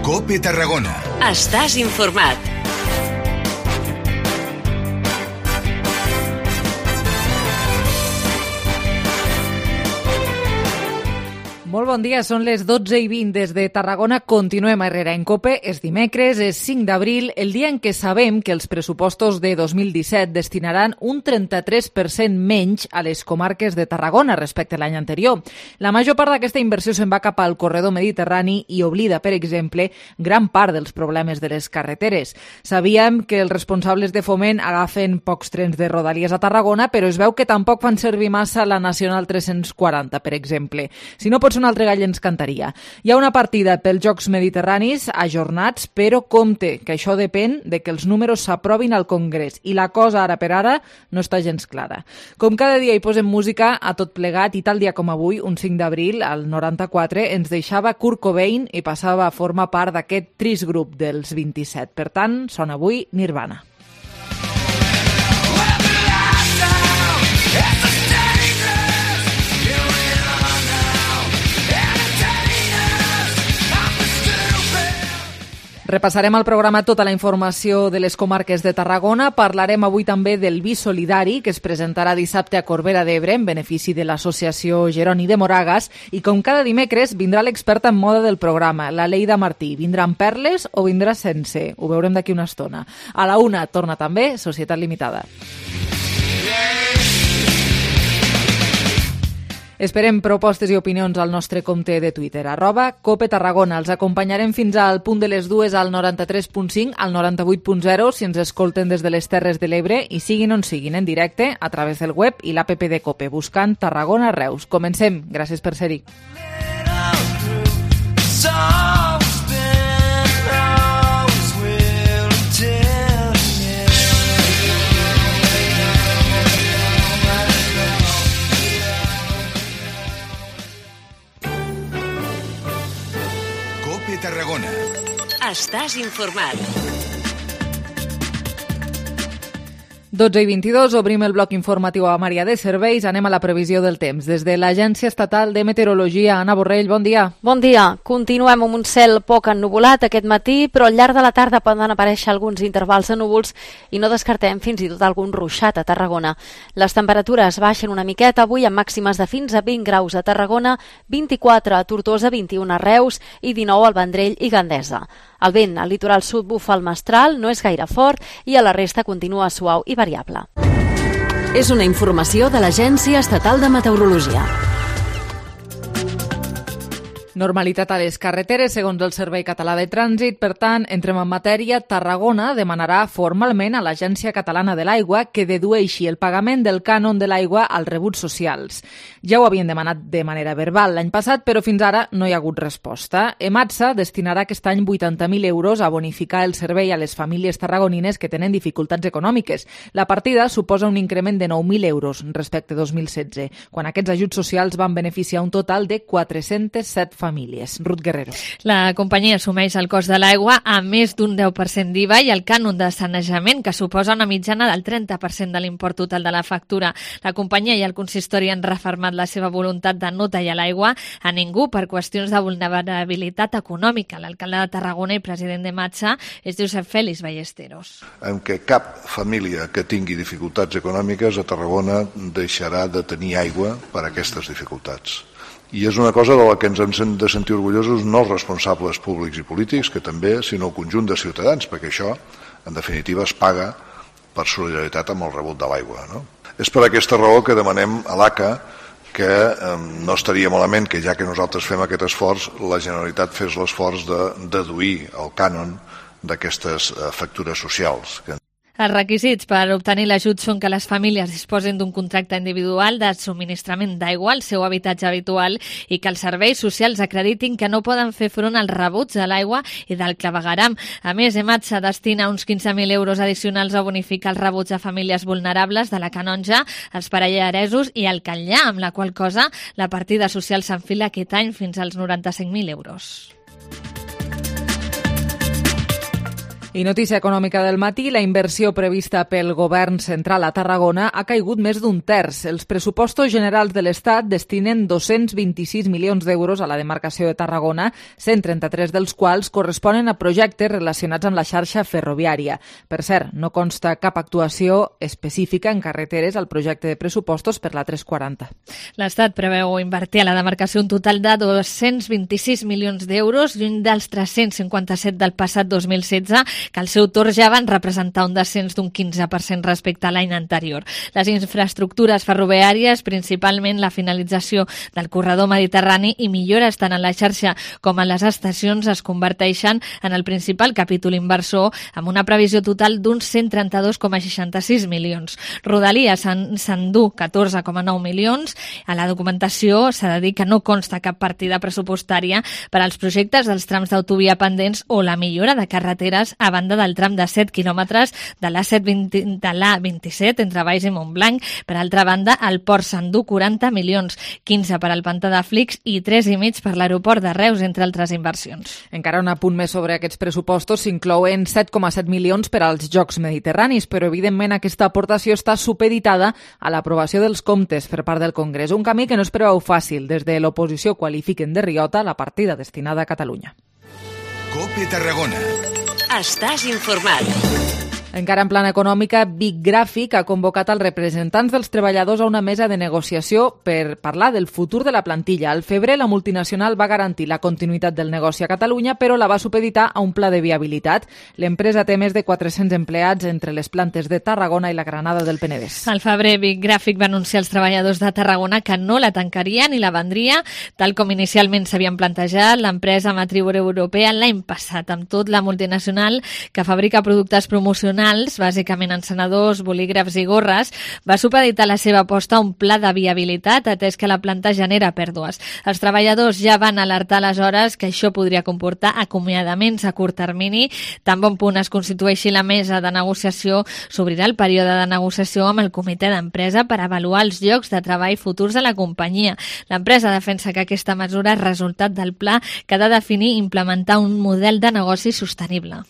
COPE Tarragona. Estàs informat. Molt bon dia, són les 12:20 des de Tarragona. Continuem a Herrera en COPE. És dimecres, és 5 d'abril, el dia en què sabem que els pressupostos de 2017 destinaran un 33% menys a les comarques de Tarragona respecte a l'any anterior. La major part d'aquesta inversió se'n va cap al corredor mediterrani i oblida, per exemple, gran part dels problemes de les carreteres. Sabíem que els responsables de Foment agafen pocs trens de Rodalies a Tarragona, però es veu que tampoc fan servir massa la Nacional 340, per exemple. Si no pots un altre gall ens cantaria. Hi ha una partida pels Jocs Mediterranis ajornats, però compte, que això depèn de que els números s'aprovin al Congrés i la cosa ara per ara no està gens clara. Com cada dia hi posem música a tot plegat i tal dia com avui, un 5 d'abril, al 94, ens deixava Kurt Cobain i passava a formar part d'aquest trist grup dels 27. Per tant, sona avui Nirvana. Repassarem al programa tota la informació de les comarques de Tarragona. Parlarem avui també del Vi Solidari, que es presentarà dissabte a Corbera d'Ebre en benefici de l'associació Jeroni de Moragas. I com cada dimecres vindrà l'experta en moda del programa, la Leida Martí. Vindrà amb perles o vindrà sense? Ho veurem d'aquí una estona. A la 1 torna també Societat Limitada. Esperem propostes i opinions al nostre compte de Twitter, @COPETarragona. Els acompanyarem fins al punt de les 2 al 93.5, al 98.0 si ens escolten des de les Terres de l'Ebre i siguin on siguin en directe a través del web i l'app de COPE, buscant Tarragona Reus. Comencem. Gràcies per ser-hi. Tarragona. Estàs informat. 12:22, obrim el bloc informatiu a Maria de Serveis. Anem a la previsió del temps. Des de l'Agència Estatal de Meteorologia, Anna Borrell, bon dia. Bon dia. Continuem amb un cel poc ennuvolat aquest matí, però al llarg de la tarda poden aparèixer alguns intervals de núvols i no descartem fins i tot algun ruixat a Tarragona. Les temperatures baixen una miqueta avui amb màximes de fins a 20 graus a Tarragona, 24 a Tortosa, 21 a Reus i 19 al Vendrell i Gandesa. El vent al litoral sud bufa al mestral, no és gaire fort i a la resta continua suau i variable. És una informació de l'Agència Estatal de Meteorologia. Normalitat a les carreteres, segons el Servei Català de Trànsit. Per tant, entrem en matèria. Tarragona demanarà formalment a l'Agència Catalana de l'Aigua que dedueixi el pagament del cànon de l'aigua als rebuts socials. Ja ho havien demanat de manera verbal l'any passat, però fins ara no hi ha hagut resposta. EMATSA destinarà aquest any 80.000 euros a bonificar el servei a les famílies tarragonines que tenen dificultats econòmiques. La partida suposa un increment de 9.000 euros respecte a 2016, quan aquests ajuts socials van beneficiar un total de 407 famílies. Ruth Guerrero. La companyia assumeix el cost de l'aigua a més d'un 10% d'IVA i el cànon de sanejament, que suposa una mitjana del 30% de l'import total de la factura. La companyia i el consistori han refermat la seva voluntat de no tallar l'aigua a ningú per qüestions de vulnerabilitat econòmica. L'alcalde de Tarragona i president d'EMATSA és Josep Félix Ballesteros. En què cap família que tingui dificultats econòmiques a Tarragona deixarà de tenir aigua per aquestes dificultats. I és una cosa de la que ens hem de sentir orgullosos no els responsables públics i polítics, que també, sinó el conjunt de ciutadans, perquè això, en definitiva, es paga per solidaritat amb el rebut de l'aigua, no? És per aquesta raó que demanem a l'ACA que no estaria malament que, ja que nosaltres fem aquest esforç, la Generalitat fes l'esforç de deduir el cànon d'aquestes factures socials. Els requisits per obtenir l'ajut són que les famílies disposin d'un contracte individual de subministrament d'aigua al seu habitatge habitual i que els serveis socials acreditin que no poden fer front als rebuts de l'aigua i del clavegueram. A més, EMATSA destina uns 15.000 euros addicionals a bonificar els rebuts a famílies vulnerables de la Canonja, els Parallaresos i el Catllà, amb la qual cosa la partida social s'enfila aquest any fins als 95.000 euros. I notícia econòmica del matí, la inversió prevista pel govern central a Tarragona ha caigut més d'un terç. Els pressupostos generals de l'Estat destinen 226 milions d'euros a la demarcació de Tarragona, 133 dels quals corresponen a projectes relacionats amb la xarxa ferroviària. Per cert, no consta cap actuació específica en carreteres al projecte de pressupostos per la 340. L'Estat preveu invertir a la demarcació un total de 226 milions d'euros, lluny dels 357 del passat 2016, que al seu torn ja van representar un descens d'un 15% respecte a l'any anterior. Les infraestructures ferroviàries, principalment la finalització del corredor mediterrani i millores tant en la xarxa com en les estacions, es converteixen en el principal capítol inversor, amb una previsió total d'uns 132,66 milions. Rodalies s'endú 14,9 milions. A la documentació s'ha de dir que no consta cap partida pressupostària per als projectes dels trams d'autovia pendents o la millora de carreteres a banda del tram de 7 quilòmetres de l'A27 entre Valls i Montblanc. Per altra banda, el port s'endú 40 milions, 15 per al pantà de Flix i 3,5 per l'aeroport de Reus, entre altres inversions. Encara un apunt més sobre aquests pressupostos, s'inclouen 7,7 milions per als Jocs Mediterranis, però evidentment aquesta aportació està supeditada a l'aprovació dels comptes per part del Congrés, un camí que no es preveu fàcil. Des de l'oposició qualifiquen de riota la partida destinada a Catalunya. COPE Tarragona. Estàs informat. Encara en plana econòmica, Big Graphic ha convocat els representants dels treballadors a una mesa de negociació per parlar del futur de la plantilla. Al febrer, la multinacional va garantir la continuïtat del negoci a Catalunya, però la va supeditar a un pla de viabilitat. L'empresa té més de 400 empleats entre les plantes de Tarragona i la Granada del Penedès. Al febrer, Big Graphic va anunciar als treballadors de Tarragona que no la tancaria ni la vendria, tal com inicialment s'havien plantejat l'empresa matriu europea l'any passat. Amb tot, la multinacional, que fabrica productes promocionals, bàsicament encenedors, bolígrafs i gorres, va supeditar la seva aposta a un pla de viabilitat, atès que la planta genera pèrdues. Els treballadors ja van alertar aleshores que això podria comportar acomiadaments a curt termini. Tan bon punt es constitueixi la mesa de negociació, s'obrirà el període de negociació amb el comitè d'empresa per avaluar els llocs de treball futurs de la companyia. L'empresa defensa que aquesta mesura és resultat del pla que ha de definir i implementar un model de negoci sostenible.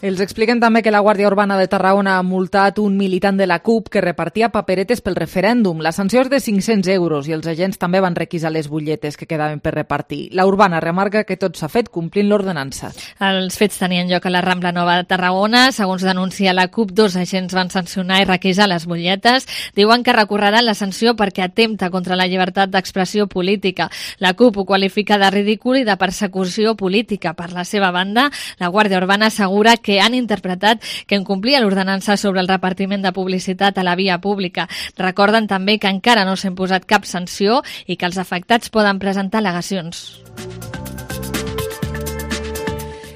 Els expliquen també que la Guàrdia Urbana de Tarragona ha multat un militant de la CUP que repartia paperetes pel referèndum. La sanció és de 500 euros i els agents també van requisar les butlletes que quedaven per repartir. La Urbana remarca que tot s'ha fet complint l'ordenança. Els fets tenien lloc a la Rambla Nova de Tarragona. Segons denuncia la CUP, 2 agents van sancionar i requisar les butlletes. Diuen que recorreran la sanció perquè atempta contra la llibertat d'expressió política. La CUP ho qualifica de ridícul i de persecució política. Per la seva banda, la Guàrdia Urbana assegura que han interpretat que incomplia l'ordenança sobre el repartiment de publicitat a la via pública. Recorden també que encara no s'ha imposat cap sanció i que els afectats poden presentar al·legacions.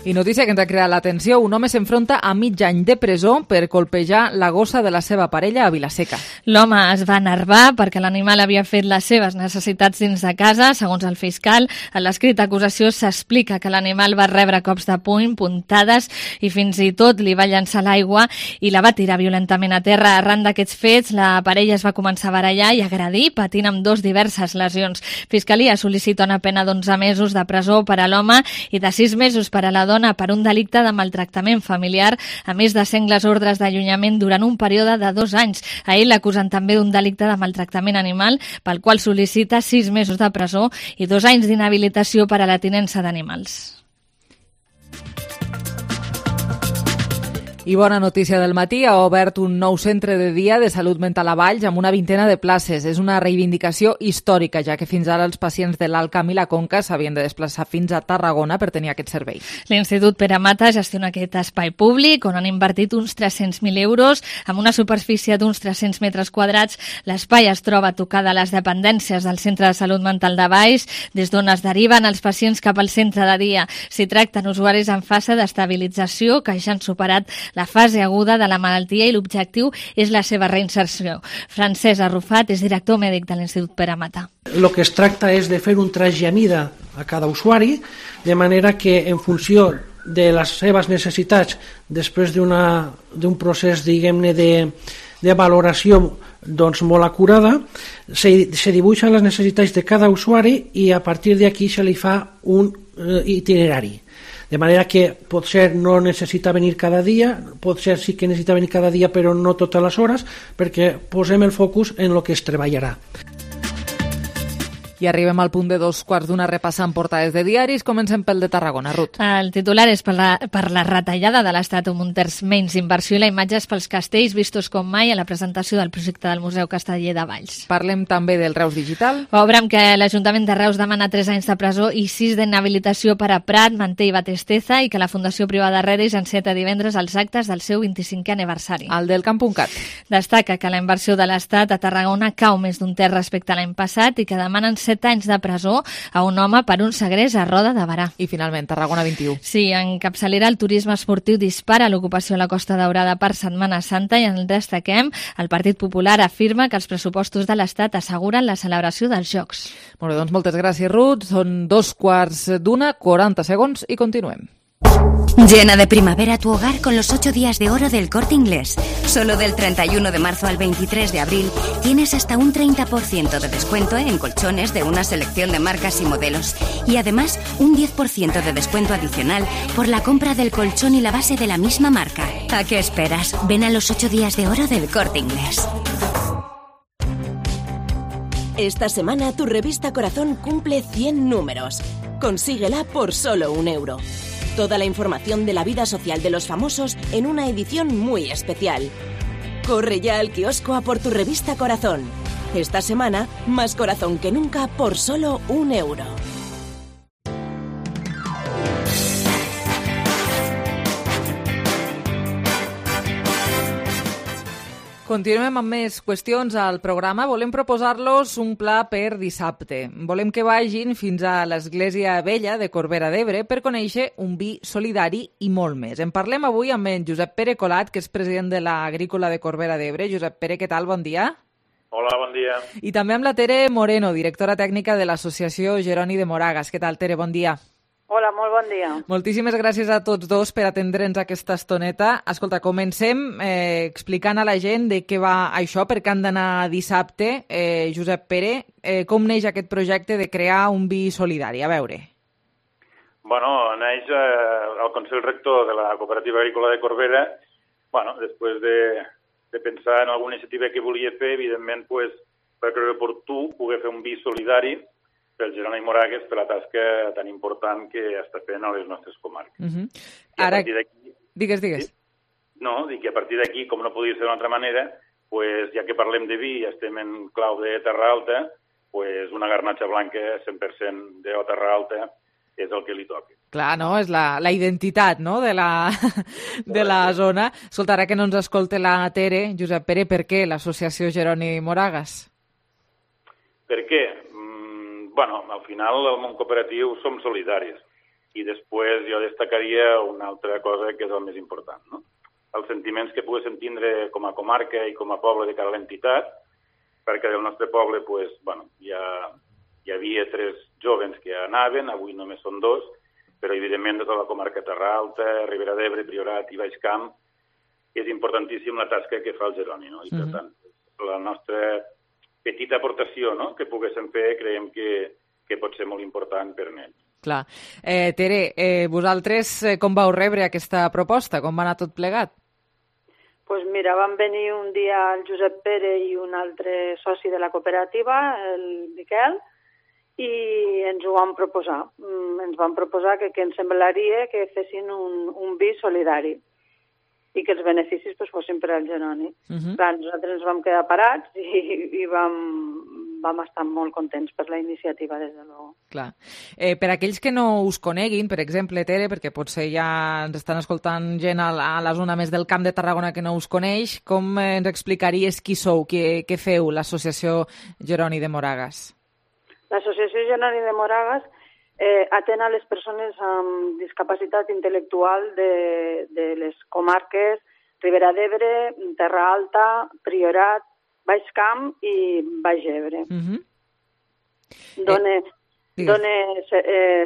I notícia que ens ha creat l'atenció, un home s'enfronta a mig any de presó per colpejar la gossa de la seva parella a Vilaseca. L'home es va enervar perquè l'animal havia fet les seves necessitats dins de casa. Segons el fiscal, a l'escrit d'acusació s'explica que l'animal va rebre cops de puny, puntades i fins i tot li va llançar l'aigua i la va tirar violentament a terra. Arran d'aquests fets, la parella es va començar a barallar i agredir, patint amb diverses lesions. Fiscalia sol·licita una pena d'11 mesos de presó per a l'home i de 6 mesos per a la dona per un delicte de maltractament familiar, a més de sengles ordres d'allunyament durant un període de 2 anys. A ell l'acusen també d'un delicte de maltractament animal, pel qual sol·licita 6 mesos de presó i 2 anys d'inhabilitació per a la tinença d'animals. I bona notícia del matí, ha obert un nou centre de dia de salut mental a Valls amb una vintena de places. És una reivindicació històrica, ja que fins ara els pacients de l'Alt Camp i la Conca s'havien de desplaçar fins a Tarragona per tenir aquest servei. L'Institut Pere Mata gestiona aquest espai públic on han invertit uns 300.000 euros amb una superfície d'uns 300 metres quadrats. L'espai es troba tocat a les dependències del Centre de Salut Mental de Valls, des d'on es deriven els pacients cap al centre de dia. S'hi tracten usuaris en fase d'estabilització que ja han superat la fase aguda de la malaltia i l'objectiu és la seva reinserció. Francesc Arrufat és director mèdic de l'Institut Pere Mata. El que es tracta és de fer un traç i mida a cada usuari, de manera que en funció de les seves necessitats, després d'un procés, diguem-ne, de valoració molt acurada, se dibuixen les necessitats de cada usuari i a partir d'aquí se li fa un itinerari. De manera que potser no necessita venir cada dia, potser sí que necessita venir cada dia però no totes les hores, perquè posem el focus en el que es treballarà. I arribem al punt de 2:15 repassant portades de diaris. Comencem pel de Tarragona, Ruth. El titular és per la retallada de l'Estat, un terç menys inversió i la imatge és pels castells vistos com mai a la presentació del projecte del Museu Casteller de Valls. Parlem també del Reus Digital. Obre amb que l'Ajuntament de Reus demana 3 anys de presó i 6 d'inhabilitació per a Prat, Manté i Batesteza i que la Fundació Privada Reris enceta divendres els actes del seu 25è aniversari. El del Camp.cat. Destaca que la inversió de l'Estat a Tarragona cau més d'un terç respecte a l'any passat i que demanen 7 anys de presó a un home per un segrest a Roda de Barà. I finalment, Tarragona 21. Sí, en capçalera el turisme esportiu dispara l'ocupació a la Costa Daurada per Setmana Santa i en el destaquem, el Partit Popular afirma que els pressupostos de l'Estat asseguren la celebració dels Jocs. Molt bé, doncs moltes gràcies, Ruth. Són 2:15, 40 segons i continuem. Llena de primavera tu hogar con los 8 días de oro del Corte Inglés. Solo del 31 de marzo al 23 de abril tienes hasta un 30% de descuento en colchones de una selección de marcas y modelos. Y además un 10% de descuento adicional por la compra del colchón y la base de la misma marca. ¿A qué esperas? Ven a los 8 días de oro del Corte Inglés. Esta semana tu revista Corazón cumple 100 números. Consíguela por solo €1. Toda la información de la vida social de los famosos en una edición muy especial. Corre ya al kiosco a por tu revista Corazón. Esta semana, más corazón que nunca por solo €1. Continuem amb més qüestions al programa. Volem proposar-los un pla per dissabte. Volem que vagin fins a l'Església Vella de Corbera d'Ebre per conèixer un vi solidari i molt més. En parlem avui amb en Josep Pere Colat, que és president de l'Agrícola de Corbera d'Ebre. Josep Pere, què tal? Bon dia. Hola, bon dia. I també amb la Tere Moreno, directora tècnica de l'Associació Jeroni de Moragas. Què tal, Tere? Bon dia. Hola, molt bon dia. Moltíssimes gràcies a tots dos per atendre'ns aquesta estoneta. Escolta, comencem explicant a la gent de què va això, per què han d'anar dissabte. Josep Pere, com neix aquest projecte de crear un vi solidari? A veure. Bueno, neix al Consell Rector de la Cooperativa Agrícola de Corbera. Bueno, després de pensar en alguna iniciativa que volia fer, evidentment, pues, va creure oportú poder fer un vi solidari pel Jeroni Moragas, per la tasca tan important que està fent a les nostres comarques. Ara, digues. No, dic que a partir d'aquí, com no podia ser d'una altra manera, pues, ja que parlem de vi i estem en clau de Terra Alta, pues, una garnatxa blanca 100% de Terra Alta és el que li toca. Clar, no? És la identitat, no?, de la zona. Escolta, ara que no ens escolta la Tere, Josep Pere, per què l'associació Jeroni Moragas? Per què? Bueno, al final el món cooperatiu som solidaris i després jo destacaria una altra cosa que és el més important, no? Els sentiments que poguéssim tindre com a comarca i com a poble de cara a l'entitat, perquè del nostre poble pues, bueno, hi havia 3 jovens que anaven, avui només són 2, però evidentment de tota la comarca Terra Alta, Ribera d'Ebre, Priorat i Baix Camp, és importantíssim la tasca que fa el Jeroni, no? I per tant, la nostra petita aportació, no?, que poguéssim fer, creiem que pot ser molt important per ells. Clar. Tere, vosaltres com vau rebre aquesta proposta? Com va anar tot plegat? Doncs mira, van venir un dia el Josep Pere i un altre soci de la cooperativa, el Miquel, i ens ho van proposar. Ens van proposar que ens semblaria que fessin un vi solidari i que els beneficis fossin per al Jeroni. Clar, nosaltres ens vam quedar parats i vam estar molt contents per la iniciativa, des de luego. Clar. Per aquells que no us coneguin, per exemple, Tere, perquè potser ja ens estan escoltant gent a la zona més del Camp de Tarragona que no us coneix, com ens explicaries qui sou, què feu, l'associació Jeroni de Moragas? L'associació Jeroni de Moragas atén a les persones amb discapacitat intel·lectual de les comarques Ribera d'Ebre, Terra Alta, Priorat, Baix Camp i Baix Ebre. Dona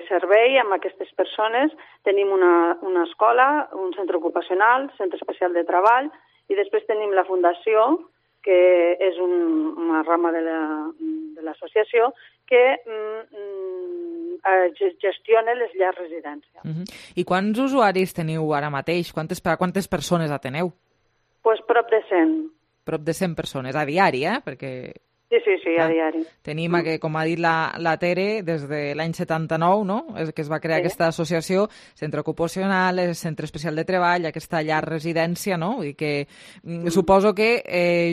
servei amb aquestes persones. Tenim una escola, un centre ocupacional, centre especial de treball, i després tenim la fundació, que és una rama de l'associació, que gestiona les llars residències. I quants usuaris teniu ara mateix? Quantes persones ateneu? Pues prop de 100. Prop de 100 persones, a diari, perquè... Sí, a diari. Tenim, com ha dit la Tere, des de l'any 79, no?, que es va crear aquesta associació, centre ocupacional, centre especial de treball, aquesta llar residència, no? Vull dir que suposo que,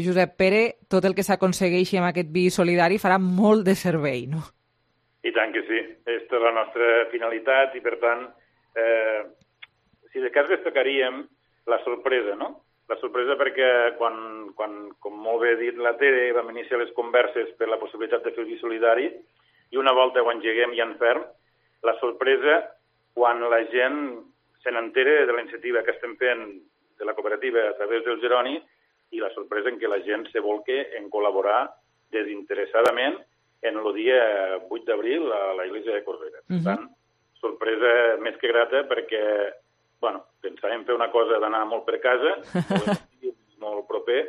Josep Pere, tot el que s'aconsegueixi amb aquest vi solidari farà molt de servei, no? I tant que sí. Aquesta és la nostra finalitat i, per tant, si de cas destacaríem la sorpresa, no? La sorpresa perquè quan com molt bé ha dit la Tere, vam iniciar les converses per la possibilitat de fer el vi solidari i una volta ho engeguem i en ferm, la sorpresa quan la gent se n'entera de la iniciativa que estem fent de la cooperativa a través del Jeroni i la sorpresa en què la gent se volca en col·laborar desinteressadament en el dia 8 d'abril a la Iglesia de Corbera. Per tant, sorpresa més que grata perquè pensàvem fer una cosa d'anar molt per casa, molt proper,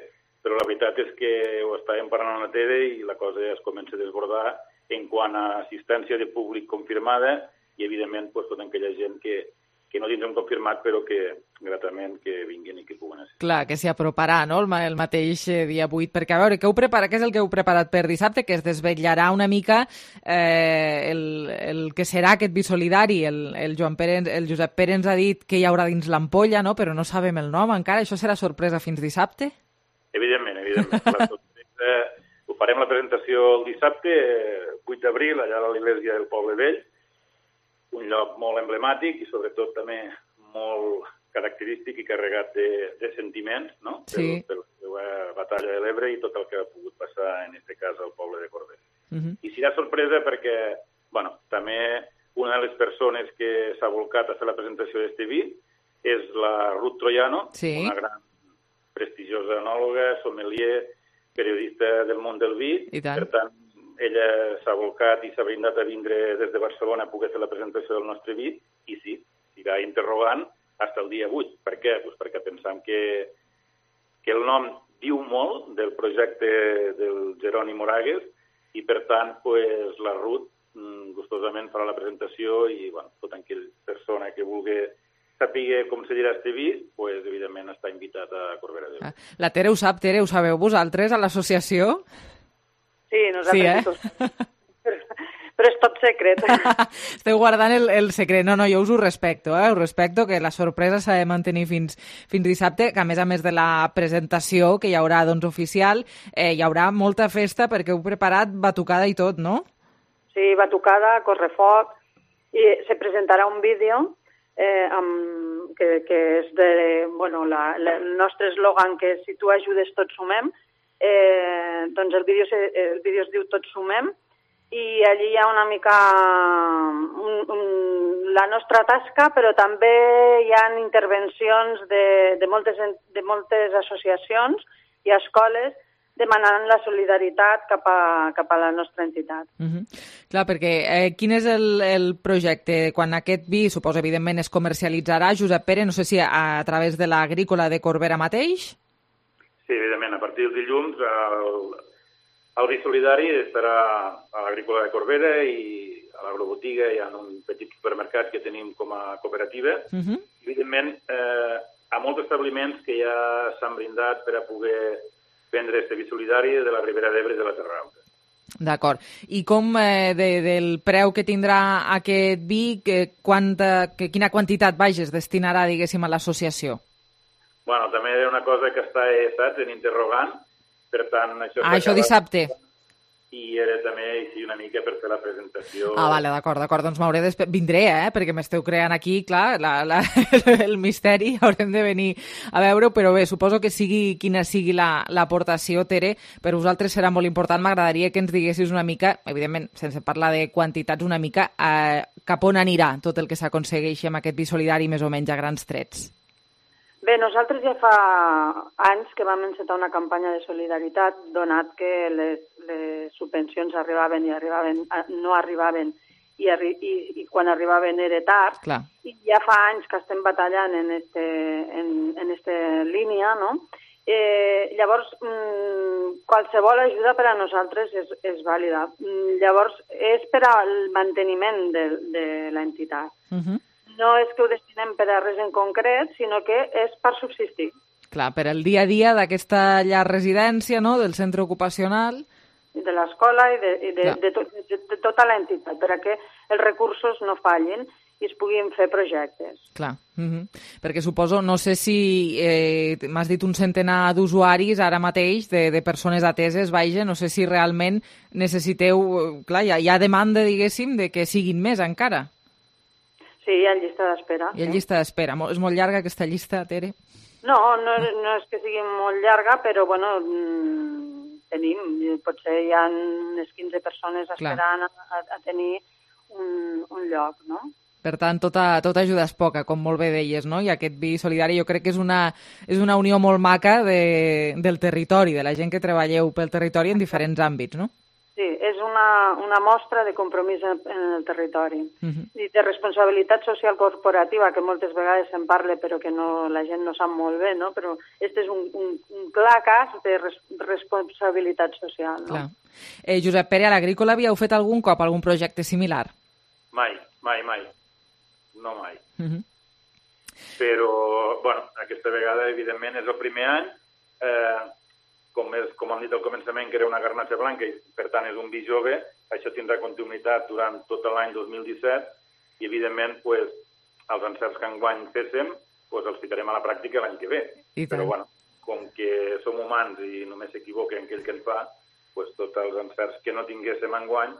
però la veritat és que ho estàvem parlant a la Tere i la cosa ja es comença a desbordar en quant a assistència de públic confirmada i, evidentment, tota aquella gent que no tindrem confirmat, però que gratament que vinguin i que puguen assistir. Clar, que s'hi aproparà, no?, el mateix dia 8, perquè a veure, què és el que heu preparat per dissabte? Que es desvetllarà una mica el que serà aquest vi solidari. El Josep Pere ens ha dit que hi haurà dins l'ampolla, no?, però no sabem el nom encara. Això serà sorpresa fins dissabte? Evidentment. La sorpresa, ho farem la presentació el dissabte, 8 d'abril, allà a l'Església del Poble Vell, un lloc molt emblemàtic i sobretot també molt característic i carregat de sentiments, no? Sí. Per la seva batalla de l'Ebre i tot el que ha pogut passar en aquest cas al poble de Corbera. I serà sorpresa perquè, també una de les persones que s'ha volcat a fer la presentació d'este vi és la Ruth Troiano, una gran prestigiosa enòloga, sommelier, periodista del món del vi. I tant. Per tant, ella s'ha volcat i s'ha brindat a vindre des de Barcelona a poder fer la presentació del nostre vi i sí, s'irà interrogant fins al dia 8. Per què? Pues perquè pensam que el nom diu molt del projecte del Jeroni Moragues i, per tant, pues, la Ruth gustosament farà la presentació i tota aquella persona que vulgui saber com se dirà este vi, pues, evidentment està invitat a Corbera d'Ebre. La Tere ho sap, Tere, ho sabeu vosaltres a l'associació? Sí, nosaltres però és tot secret. Esteu guardant el secret. No, jo us ho respecto, us respecto que la sorpresa s'ha de mantenir fins dissabte, que a més de la presentació que hi haurà oficial, hi haurà molta festa perquè heu preparat batucada i tot, no? Sí, batucada, correfoc, i se presentarà un vídeo que és el nostre eslògan que si tu ajudes tots sumem. Doncs el vídeo es diu Tots sumem i allí hi ha una mica la nostra tasca, però també hi ha intervencions de moltes associacions i escoles demanant la solidaritat cap a la nostra entitat. Clar, perquè quin és el projecte? Quan aquest vi, suposo, evidentment, es comercialitzarà, Josep Pere, no sé si a través de l'Agrícola de Corbera mateix? Sí, evidentment, a partir del dilluns el vi solidari estarà a l'Agrícola de Corbera i a l'agrobotiga hi ha un petit supermercat que tenim com a cooperativa. Evidentment, a molts establiments que ja s'han brindat per a poder vendre este vi solidari de la Ribera d'Ebre i de la Terra Alta. D'acord. I com del preu que tindrà aquest vi, quina quantitat es destinarà, diguéssim, a l'associació? Bueno, també era una cosa que està, saps, en interrogant, per tant... Això dissabte. I era també així una mica per fer la presentació... Vale, d'acord, doncs m'hauré vindré, perquè m'esteu creant aquí, clar, el misteri, haurem de venir a veure, però bé, suposo que sigui quina sigui l'aportació, Tere, per vosaltres serà molt important. M'agradaria que ens diguessis una mica, evidentment, sense parlar de quantitats, una mica cap on anirà tot el que s'aconsegueixi amb aquest vi solidari, més o menys a grans trets. Bé, nosaltres ja fa anys que vam encetar una campanya de solidaritat, donat que les subvencions arribaven i no arribaven i quan arribaven era tard. Clar. I ja fa anys que estem batallant en esta línia, no? Llavors, qualsevol ajuda per a nosaltres és vàlida. Llavors, és per al manteniment de l'entitat. No és que ho destinem per a res en concret, sinó que és per subsistir. Clar, per al dia a dia d'aquesta llar residència, no?, del centre ocupacional. De l'escola i de tota l'entitat, perquè els recursos no fallin i es puguin fer projectes. Clar, perquè suposo, no sé si m'has dit un centenar d'usuaris ara mateix, de persones ateses, vaja, no sé si realment necessiteu... Clar, hi ha demanda, diguéssim, de que siguin més encara. Sí, hi ha llista d'espera. Hi ha llista d'espera. És molt llarga aquesta llista, Tere? No és que sigui molt llarga, però, bueno, tenim, potser hi ha unes 15 persones esperant a tenir un lloc, no? Per tant, tota ajuda és poca, com molt bé deies, no? I aquest vi solidari jo crec que és una unió molt maca del territori, de la gent que treballeu pel territori en diferents àmbits, no? Sí, és una mostra de compromís en el territori i de responsabilitat social corporativa, que moltes vegades se'n parla però que la gent no sap molt bé, no? Però aquest és un clar cas de responsabilitat social, no? Clar. Josep Pere, a l'Agrícola havíeu fet algun cop algun projecte similar? Mai. No mai. Però, bueno, aquesta vegada, evidentment, és el primer any. Com hem dit al començament, que era una garnatxa blanca i, per tant, és un vi jove, això tindrà continuïtat durant tot l'any 2017 i, evidentment, els encerts que enguany féssim els ficarem a la pràctica l'any que ve. Però, bueno, com que som humans i només s'equivoquen aquell que en fa, tots els encerts que no tinguéssim enguany,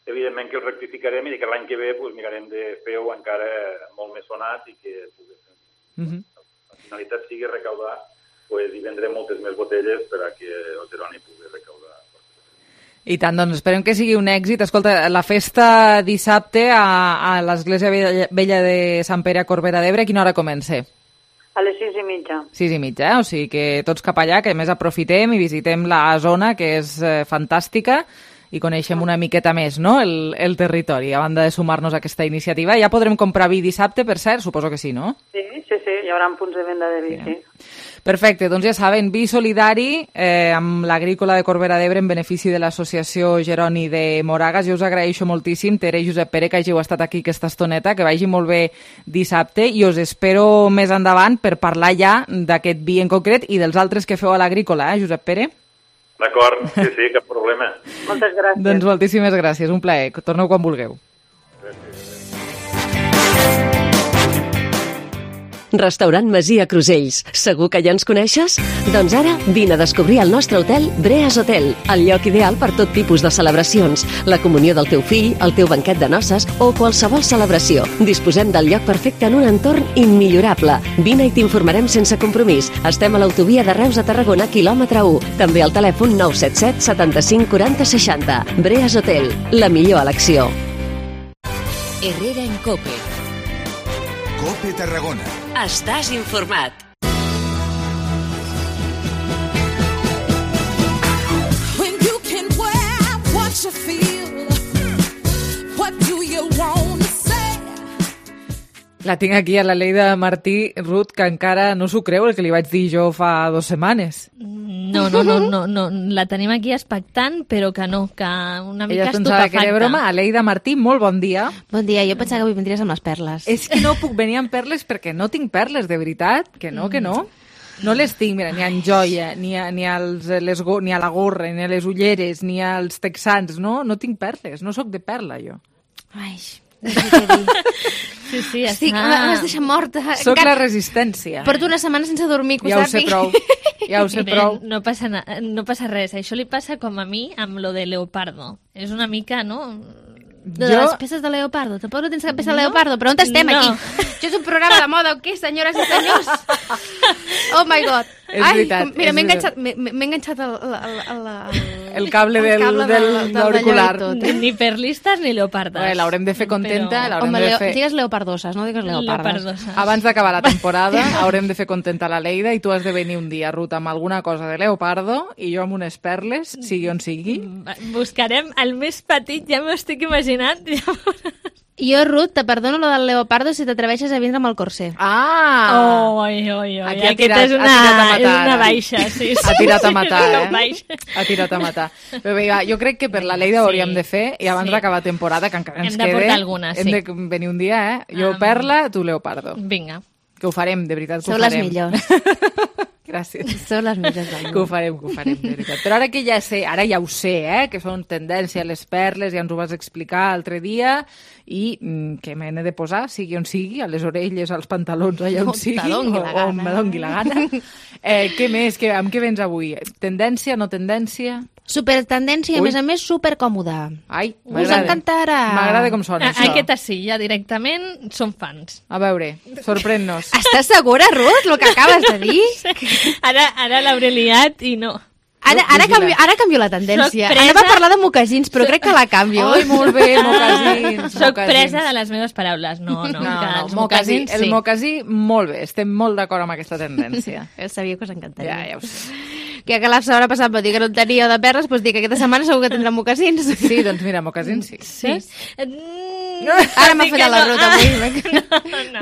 evidentment que els rectificarem i que l'any que ve mirarem de fer-ho encara molt més sonat i que la finalitat sigui recaudar i vendrem moltes més botelles per a que el Jeroni pugui recaudar. I tant, doncs esperem que sigui un èxit. Escolta, la festa dissabte a l'Església Vella de Sant Pere a Corbera d'Ebre, a quina hora comença? A les 6:30. 6:30, o sigui que tots cap allà, que a més aprofitem i visitem la zona, que és fantàstica, i coneixem una miqueta més, no?, el territori, a banda de sumar-nos a aquesta iniciativa. Ja podrem comprar vi dissabte, per cert? Suposo que sí, no? Sí, hi haurà punts de venda de vi, sí. Perfecte, doncs ja saben, vi solidari amb l'Agrícola de Corbera d'Ebre en benefici de l'Associació Jeroni de Moragas. Jo us agraeixo moltíssim, Tere i Josep Pere, que hàgiu estat aquí aquesta estoneta, que vagi molt bé dissabte, i us espero més endavant per parlar ja d'aquest vi en concret i dels altres que feu a l'Agrícola, Josep Pere? D'acord, sí, cap problema. Moltes gràcies. Doncs moltíssimes gràcies, un plaer. Torneu quan vulgueu. Restaurant Masia Crusells. Segur que ja ens coneixes? Doncs ara vine a descobrir el nostre hotel Breas Hotel, el lloc ideal per tot tipus de celebracions, la comunió del teu fill, el teu banquet de noces o qualsevol celebració. Disposem del lloc perfecte en un entorn immillorable. Vine i t'informarem sense compromís. Estem a l'autovia de Reus a Tarragona, quilòmetre 1. També al telèfon 977 75 40 60. Breas Hotel, la millor elecció. Herrera en COPE. COPE Tarragona. Estàs informat. When you can wear what you feel, what do you want to say? La tinc aquí a la Leida Martí, Ruth, que encara no s'ho creu el que li vaig dir jo fa 2 setmanes. No, la tenim aquí expectant, però que no, que una mica estupefacta. Ella pensava que era broma. Leida Martí, molt bon dia. Bon dia, jo pensava que avui vindries amb les perles. És que no puc venir amb perles perquè no tinc perles, de veritat, que no. No les tinc, mira, ni en joia, ni a la gorra, ni a les ulleres, ni als texans, no tinc perles, no sóc de perla, jo. Ai, no sé què dir. Sí, m'has deixat morta. Soc la resistència. Porto una setmana sense dormir, ja ho sé prou. No passa res. Això li passa com a mi amb lo de Leopardo. És una mica, no? Les peces de Leopardo. Tampoc no tens cap peça de Leopardo, però on estem aquí? Això és un programa de moda o què, senyores i senyors? Oh my God. És veritat. Mira, m'he enganxat el cable de l'auricular. Ni perlistes ni leopardes. L'haurem de fer contenta. Digues leopardoses, no digues leopardes. Abans d'acabar la temporada haurem de fer contenta la Leida i tu has de venir un dia, Ruth, amb alguna cosa de leopardo i jo amb unes perles, sigui on sigui. Buscarem el més petit, ja m'ho estic imaginant. Jo, Ruth, te perdono lo del leopardo si t'atreveixes a vindre amb el corser. Oi. Aquesta és una baixa, sí. Ha tirat a matar, Ha tirat a matar. Però bé, jo crec que per la Lleida ho hauríem de fer i abans d'acabar temporada, que encara ens quede... Hem de portar alguna, sí. Hem de venir un dia, Jo, Perla, tu, Leopardo. Vinga. Que ho farem, de veritat, que Sou ho farem. les millors. Gràcies. Són les millors del món. Que ho farem, de veritat. Però ara que ja sé, ja ho sé, que són tendència les perles, ja ens ho vas explicar l'altre dia, i que me n'he de posar, sigui on sigui, a les orelles, als pantalons, allà on sigui, o on me dongui la gana. Què més? Amb què vens avui? Tendència, no tendència? Supertendència, a més, supercòmoda. Ai, us encantarà. M'agrada com sona això. Aquesta sí, ja directament som fans. A veure, sorprèn-nos. Estàs segura, Ruth, el que acabes de dir? Sí. Ara l'hauré liat i no. Ara canvio la tendència. Anava a parlar de mocasins, però crec que la canvio. Ai, molt bé, mocasins. Soc presa de les meves paraules. No, mocasins, el mocasí, molt bé. Estem molt d'acord amb aquesta tendència. Sabia que us encantaria. Ja ho sé. Que la setmana passada va dir que no tenia de perles, doncs dic que aquesta setmana segur que tindrà mocasins. Sí, doncs mira, mocasins sí. Ara m'ha fallat la ruta avui.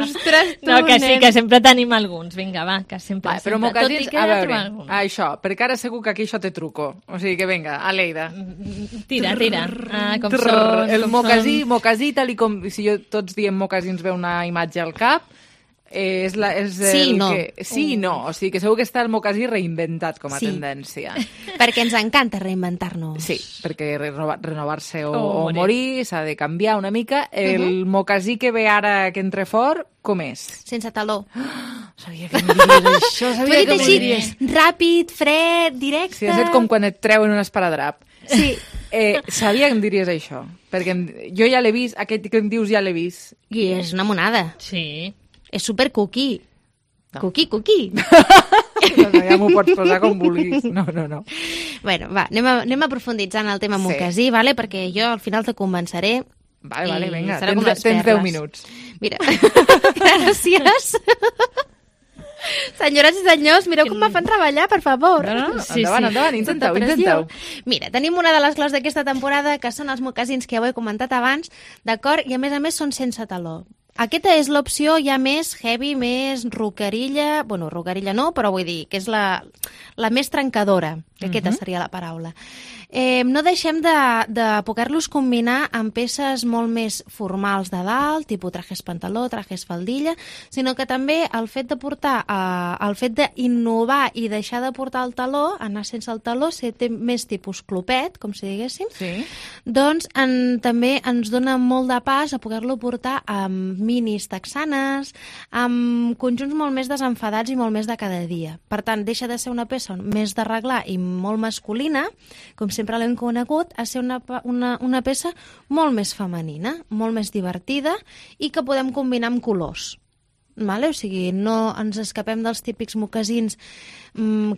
Ostres, tu, no, que sí, que sempre tenim alguns. Vinga, va, que sempre. Però mocasins, a veure, això, perquè ara segur que aquí això té truco. O sigui que vinga, a Lleida. Tira. Com són... El mocasí, tal com... Si tots diem mocasins ve una imatge al cap, sí, no. Sí i no. O sigui que segur que està el mocasí reinventat com a tendència. Perquè ens encanta reinventar-nos. Sí, perquè renovar-se o morir s'ha de canviar una mica. El mocasí que ve ara que entre fort, com és? Sense taló. Sabia que em diries això. T'ho he dit així, ràpid, fred, directe... Sí, has dit com quan et treuen un esparadrap. Sí. Sabia que em diries això, perquè jo ja l'he vist, aquest que em dius ja l'he vist. I és una monada. Sí. És super cookie. No. Cookie. Ja m'ho pots posar com vulguis. No. Bueno, va, anem aprofunditzant el tema mocasí, vale? Perquè jo al final te convenceré. Vale, vinga, tens 10 minuts. Mira, gràcies. Senyores i senyors, mireu com me fan treballar, per favor. Endavant, intenteu. Mira, tenim una de les claus d'aquesta temporada, que són els mocasins que ja ho he comentat abans, d'acord? I a més són sense taló. Aquesta és l'opció ja més heavy, més rockerilla, bueno, rockerilla no, però vull dir que és la més trencadora, que aquesta seria la paraula. No deixem de poder-los combinar amb peces molt més formals de dalt, tipus trajes pantaló, trajes faldilla, sinó que també el fet de portar, el fet d'innovar i deixar de portar el taló, anar sense el taló, ser més tipus clopet, com si diguéssim, doncs també ens dona molt de pas a poder-lo portar amb minis texanes, amb conjunts molt més desenfadats i molt més de cada dia. Per tant, deixa de ser una peça més d'arreglar i molt masculina, com sempre l'hem conegut, a ser una peça molt més femenina, molt més divertida i que podem combinar amb colors. Vale? O sigui, no ens escapem dels mocasins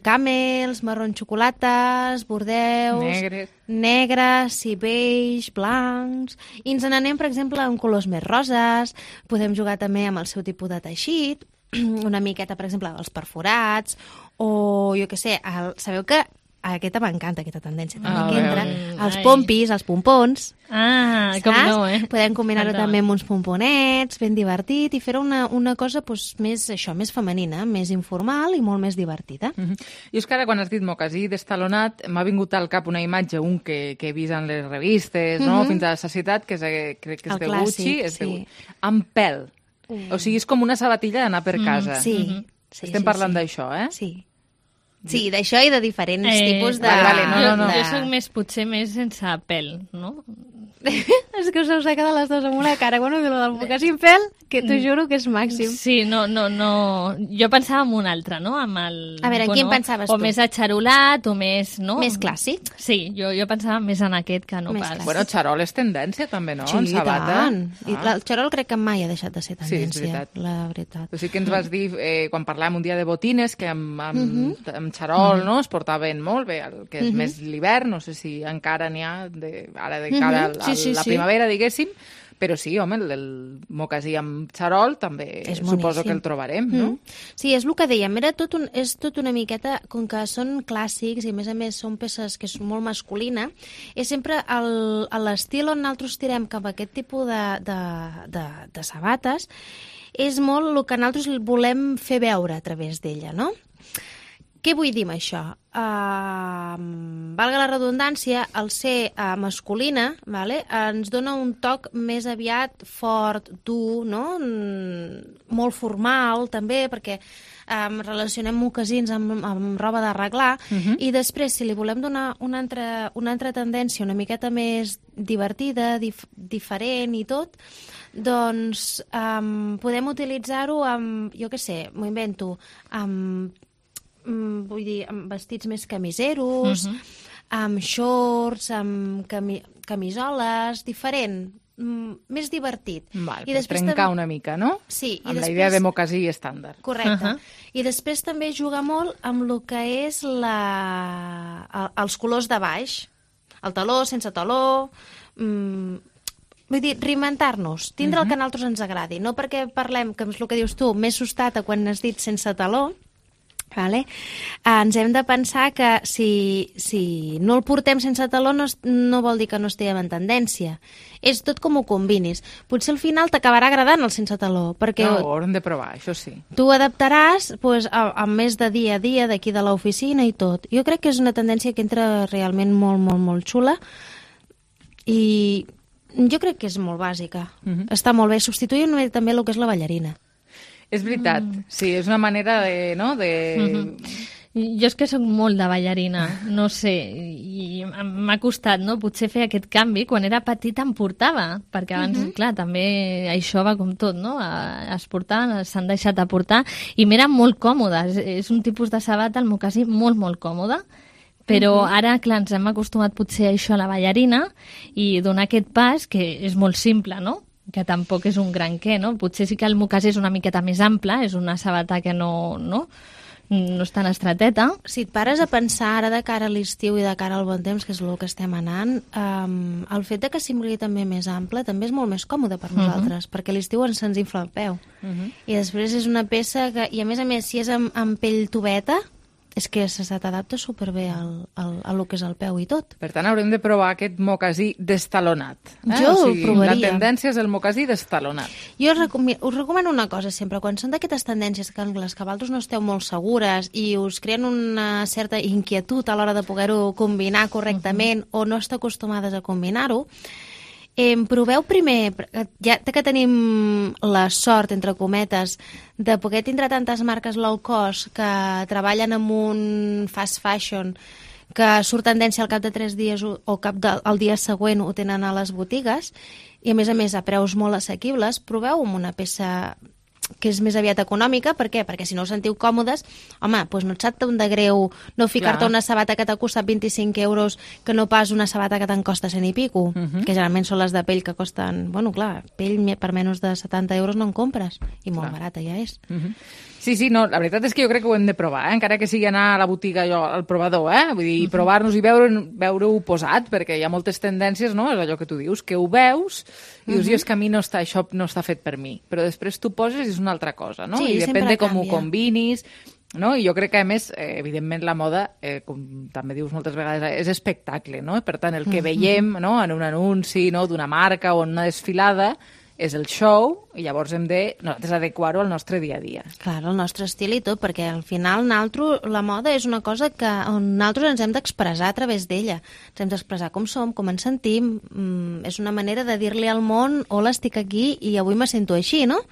camels, marron xocolates, bordeus, negres, sí, beige, blancs, i ens n'anem, per exemple, amb colors més roses, podem jugar també amb el seu tipus de teixit, una miqueta, per exemple, els perforats, o jo què sé, sabeu que aquesta m'encanta, aquesta tendència també que entra, els pompis, els pompons, com no, podem combinar-ho també amb uns pomponets, ben divertit, i fer una cosa més femenina, més informal i molt més divertida. I és que ara, quan has dit mocasí destalonat, m'ha vingut al cap una imatge, un que he vist en les revistes, fins a la Societat, que crec que és de Gucci, amb pèl. O sigui, és com una sabatilla d'anar per casa. Estem parlant d'això, Sí. Sí, d'això i de diferents tipus de... Jo soc potser més sense pèl, no? És que us heu quedat les dues amb una cara. Bueno, del mocasí en pèl, que t'ho juro que és màxim. Sí, no. Jo pensava en un altre, no? A veure, en quin pensaves tu? O més atxarolat, o més... Més clàssic? Sí, jo pensava més en aquest que no pas. Bueno, xarol és tendència, també, no? Sí, tant. I el xarol crec que mai ha deixat de ser tendència. Sí, és veritat. La veritat. O sigui que ens vas dir, quan parlàvem un dia de botines, que amb xarol es portaven molt bé, el que és més l'hivern, no sé si encara n'hi ha, ara de cara a la primavera, diguéssim, Però sí, home, el mocasí amb xarol també És suposo boníssim. que el trobarem, no? Sí, és el que dèiem, és tot una miqueta, com que són clàssics i a més són peces que són molt masculina, és sempre l'estil on nosaltres tirem cap a aquest tipus de sabates, és molt el que nosaltres volem fer veure a través d'ella, no? Què vull dir amb això? Valga la redundància, el ser masculina, vale, ens dona un toc més aviat fort, dur, no? Molt formal, també, perquè relacionem mocasins amb roba d'arreglar, i després, si li volem donar una altra tendència una miqueta més divertida, diferent i tot, doncs podem utilitzar-ho amb, jo què sé, m'ho invento, vull dir, amb vestits més camiseros, amb shorts, amb camisoles, diferent, més divertit. Val, per trencar una mica, no? Sí. Amb la idea de mocasí estàndard. Correcte. I després també juga molt amb el que és els colors de baix. El taló, sense taló... Vull dir, reinventar-nos, tindre el que a nosaltres ens agradi. No perquè parlem, que és el que dius tu, més sostata quan has dit sense taló, vale? Ens hem de pensar que si no el portem sense taló no vol dir que no estiguem en tendència. És tot com ho combinis. Potser al final t'acabarà agradant el sense taló, perquè No, ho haurem de provar, això sí. tu adaptaràs amb més de dia a dia d'aquí de l'oficina i tot. Jo crec que és una tendència que entra realment molt, molt, molt xula i jo crec que és molt bàsica. Està molt bé. Substituir també el que és la ballarina. És veritat, sí, és una manera de... No? Jo és que soc molt de ballarina, no sé, i m'ha costat, no?, potser fer aquest canvi. Quan era petita em portava, perquè abans, clar, també això va com tot, no?, es portaven, s'han deixat de portar, i m'era molt còmoda. És un tipus de sabata, el mocasí, molt, molt còmode, però ara, clar, ens hem acostumat potser a això, a la ballarina, i donar aquest pas, que és molt simple, no?, que tampoc és un gran què, no? Potser sí que el mocasí és una miqueta més ample, és una sabata que no és tan estreteta. Si et pares a pensar ara de cara a l'estiu i de cara al bon temps, que és el que estem anant, el fet de que sigui també més ample també és molt més còmode per nosaltres, perquè a l'estiu se'ns infla el peu. I després és una peça que, i a més, si és amb pell tubeta, és que se t'adapta superbé a lo que és el peu i tot. Per tant, haurem de provar aquest mocasí destalonat. Jo el provaria. La tendència és el mocasí destalonat. Jo us recomano una cosa sempre, quan són d'aquestes tendències que les que vosaltres no esteu molt segures i us creen una certa inquietud a l'hora de poder-ho combinar correctament o no esteu acostumades a combinar-ho, proveu primer, ja que tenim la sort, entre cometes, de poder tindre tantes marques low cost que treballen amb un fast fashion que surt tendència al cap de 3 dies o el dia següent ho tenen a les botigues i a més a preus molt assequibles, proveu amb una peça que és més aviat econòmica. Per què? Perquè si no us sentiu còmodes, home, doncs no et sap de greu no ficar-te una sabata que t'ha costat 25 euros que no pas una sabata que te'n costa 100 i pico, que generalment són les de pell que costen, bueno, clar, pell per menys de 70 euros no en compres, i molt barata ja és. Sí, no, la veritat és que jo crec que ho hem de provar, encara que sigui anar a la botiga al provador, vull dir, provar-nos i veure-ho posat, perquè hi ha moltes tendències, no?, és allò que tu dius, que ho veus i dius, és que a mi això no està fet per mi, però després tu poses i és una altra cosa, no? Sí, I depèn de com ho canvia. combinis, no? I jo crec que, a més, evidentment, la moda, com també dius moltes vegades, és espectacle, no? Per tant, el que veiem, no?, en un anunci, no?, d'una marca o en una desfilada, és el show, i llavors hem de nosaltres adequar-ho al nostre dia a dia. Clar, el nostre estil i tot, perquè al final la moda és una cosa on nosaltres ens hem d'expressar a través d'ella. Ens hem d'expressar com som, com ens sentim, és una manera de dir-li al món, hola, estic aquí i avui me sento així, no?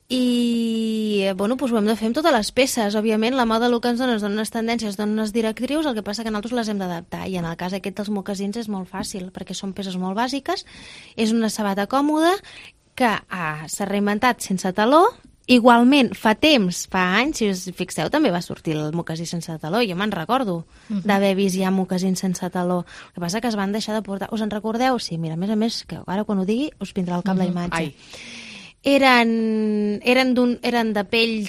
I, bueno, doncs ho hem de fer amb totes les peces. Òbviament, la moda el que ens dona unes tendències, dona unes directrius, el que passa que nosaltres les hem d'adaptar. I en el cas aquest dels mocasins és molt fàcil, perquè són peces molt bàsiques, és una sabata còmoda que s'ha reinventat sense taló. Igualment, fa anys, si us fixeu, també va sortir el mocasí sense taló. Jo me'n recordo d'haver vist ja mocasins sense taló. El que passa que es van deixar de portar. Us en recordeu? Sí, mira, a més, que ara quan ho digui us vindrà al cap la imatge. Eren de pell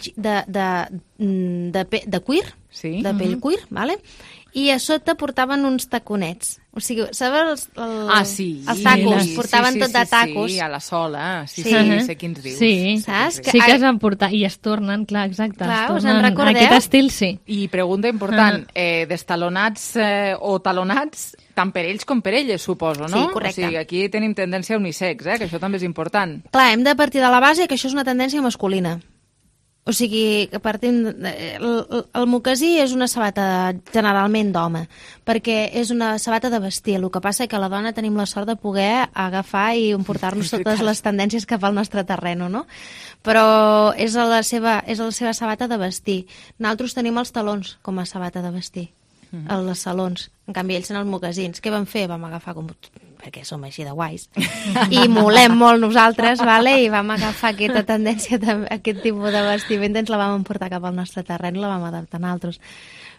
de cuir, de pell cuir, vale? i a sota portaven uns taconets. O sigui, sabeu sí. Els tacos? Portaven tot de tacos. Sí, a la sola. Sí, sé quins dius. Sí, saps? Sí que es van portar, i es tornen, clar, exacte. Clar, us en recordeu? Aquest estil, sí. I pregunta important, destalonats o talonats, tant per ells com per elles, suposo, no? Sí, correcte. O sigui, aquí tenim tendència unisex, que això també és important. Clar, hem de partir de la base que això és una tendència masculina. O sigui, que partim... El mocasí és una sabata generalment d'home, perquè és una sabata de vestir. El que passa és que la dona tenim la sort de poder agafar i emportar-nos totes les tendències cap al nostre terreno, no? Però és la seva sabata de vestir. Nosaltres tenim els talons com a sabata de vestir, els salons. En canvi, ells són els mocasins. Què vam fer? Vam agafar perquè som així de guais, i molem molt nosaltres, vale? I vam agafar aquesta tendència, aquest tipus de vestimenta, ens la vam emportar cap al nostre terreny, la vam adaptar a nosaltres.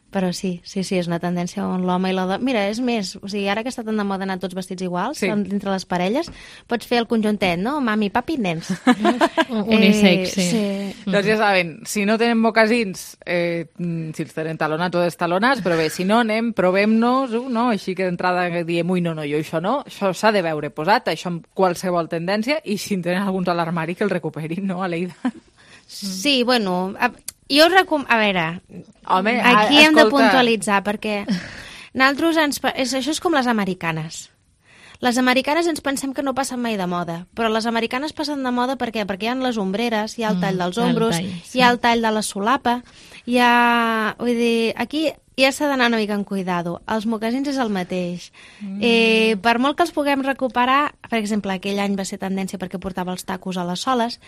Però sí, és una tendència on l'home i la dona... Mira, és més, o sigui, ara que està tan de moda anar tots vestits iguals, dintre les parelles, pots fer el conjuntet, no? Mami, papi, nens. Unisex, sí. Doncs ja saben, si no tenen mocasins, si els tenen talonats o destalonats, però bé, si no, anem, provem-nos, no? Així que d'entrada diem, jo això no, això s'ha de veure posat, això amb qualsevol tendència, i si en tenen alguns a l'armari que el recuperin, no, Aleida? Sí, bueno... Jo us recomano... A veure, home, aquí hem de puntualitzar, perquè nosaltres això és com les americanes. Les americanes ens pensem que no passen mai de moda, però les americanes passen de moda per què? Perquè hi ha les ombreres, hi ha el tall dels ombros, hi ha el tall de la solapa, hi ha... Vull dir, aquí ja s'ha d'anar una mica en cuidado. Els mocasins és el mateix. Per molt que els puguem recuperar, per exemple, aquell any va ser tendència perquè portava els tacos a les soles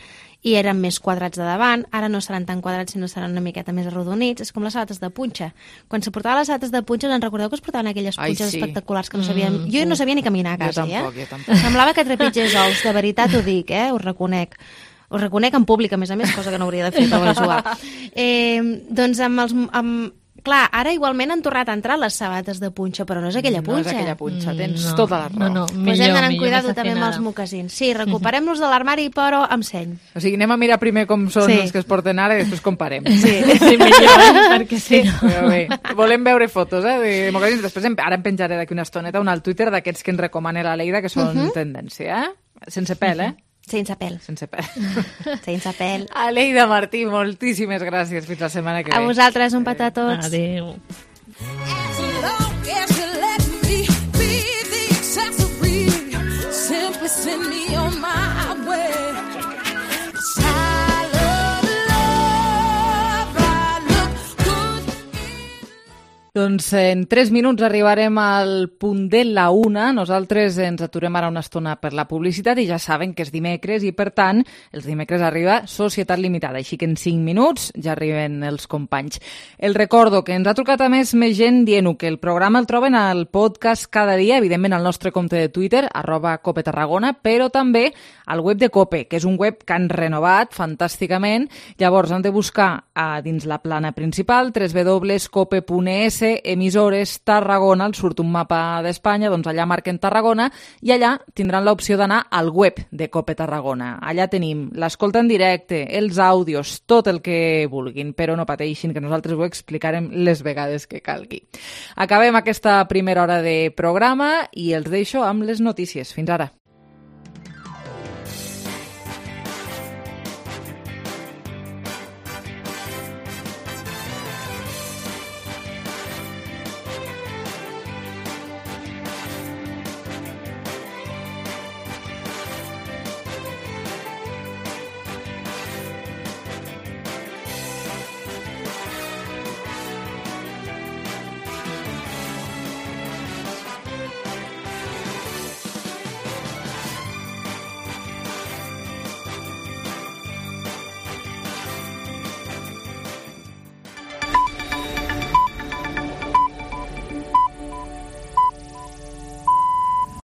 i eren més quadrats de davant, ara no seran tan quadrats sinó seran una miqueta més arrodonits. És com les sabates de punxa. Quan se portaven les sabates de punxa, en recordeu que es portaven aquelles punxes espectaculars que no sabíem... Jo no sabia ni caminar a casa, jo tampoc. Semblava que trepitgés ous, de veritat ho dic, ho reconec. Ho reconec en públic, a més, cosa que no hauria de fer, però vaig jugar. Doncs clar, ara igualment han tornat a entrar les sabates de punxa, però no és aquella punxa. No és aquella punxa, tens tota la raó. No, pues hem d'anar amb cuidado també amb els mocasins. Sí, recuperem-los de l'armari, però amb seny. O sigui, anem a mirar primer com són els que es porten ara i després comparem. Sí, millor, perquè sí. Però bé, volem veure fotos de mocasins. Després ara em penjaré d'aquí una estoneta al Twitter d'aquests que ens recomana l'Aleida, que són tendència, Sense pèl, Sense pèl. Sense pèl. Sense pèl. Aleida Martí, moltíssimes gràcies. Fins la setmana que ve. A vosaltres, un petó a tots. Adéu. Doncs en 3 minuts arribarem al punt de la 1. Nosaltres ens aturem ara una estona per la publicitat i ja saben que és dimecres i, per tant, els dimecres arriba Societat Limitada, així que en 5 minuts ja arriben els companys. El recordo que ens ha trucat a més gent dient-ho, que el programa el troben al podcast cada dia, evidentment al nostre compte de Twitter, @CopeTarragona, però també al web de Cope, que és un web que han renovat fantàsticament. Llavors han de buscar dins la plana principal www.cope.es emissores Tarragona, els surt un mapa d'Espanya, doncs allà marquen Tarragona i allà tindran l'opció d'anar al web de Cope Tarragona. Allà tenim l'escolta en directe, els àudios, tot el que vulguin, però no pateixin que nosaltres ho explicarem les vegades que calgui. Acabem aquesta primera hora de programa i els deixo amb les notícies. Fins ara.